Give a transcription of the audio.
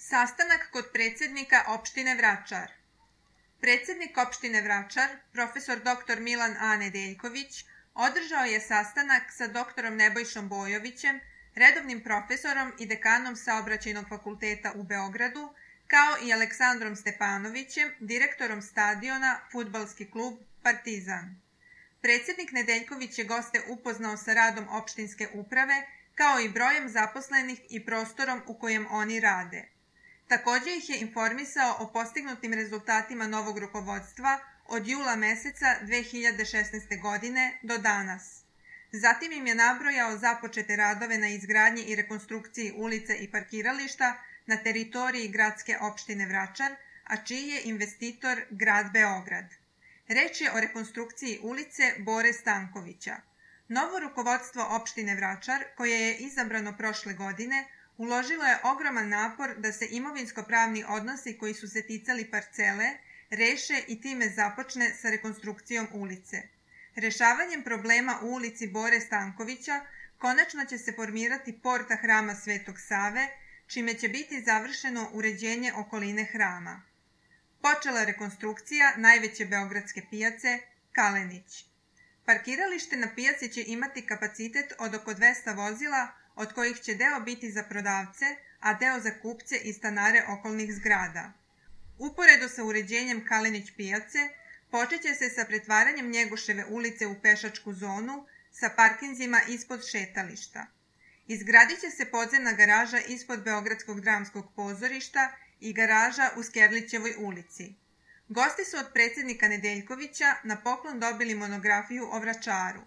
Sastanak kod predsjednika opštine Vračar. Predsjednik opštine Vračar, profesor dr. Milan A. Nedeljković, održao je sastanak sa dr. Nebojšom Bojovićem, redovnim profesorom i dekanom Saobraćajnog fakulteta u Beogradu, kao i Aleksandrom Stepanovićem, direktorom stadiona Fudbalski klub Partizan. Predsjednik Nedeljković je goste upoznao sa radom opštinske uprave, kao i brojem zaposlenih i prostorom u kojem oni rade. Također ih je informisao o postignutim rezultatima novog rukovodstva od jula meseca 2016. godine do danas. Zatim im je nabrojao započete radove na izgradnji i rekonstrukciji ulica i parkirališta na teritoriji gradske opštine Vračar, a čiji je investitor grad Beograd. Reč je o rekonstrukciji ulice Bore Stankovića. Novo rukovodstvo opštine Vračar, koje je izabrano prošle godine, uložilo je ogroman napor da se imovinsko-pravni odnosi koji su se ticali parcele reše i time započne sa rekonstrukcijom ulice. Rešavanjem problema u ulici Bore Stankovića konačno će se formirati porta hrama Svetog Save, čime će biti završeno uređenje okoline hrama. Počela rekonstrukcija najveće beogradske pijace Kalenić. Parkiralište na pijaci će imati kapacitet od oko 200 vozila, od kojih će deo biti za prodavce, a deo za kupce i stanare okolnih zgrada. Uporedo sa uređenjem Kalenić pijace, počet će se sa pretvaranjem Njegoševe ulice u pešačku zonu sa parkinzima ispod šetališta. Izgradit će se podzemna garaža ispod Beogradskog dramskog pozorišta i garaža u Skerlićevoj ulici. Gosti su od predsjednika Nedeljkovića na poklon dobili monografiju o Vračaru.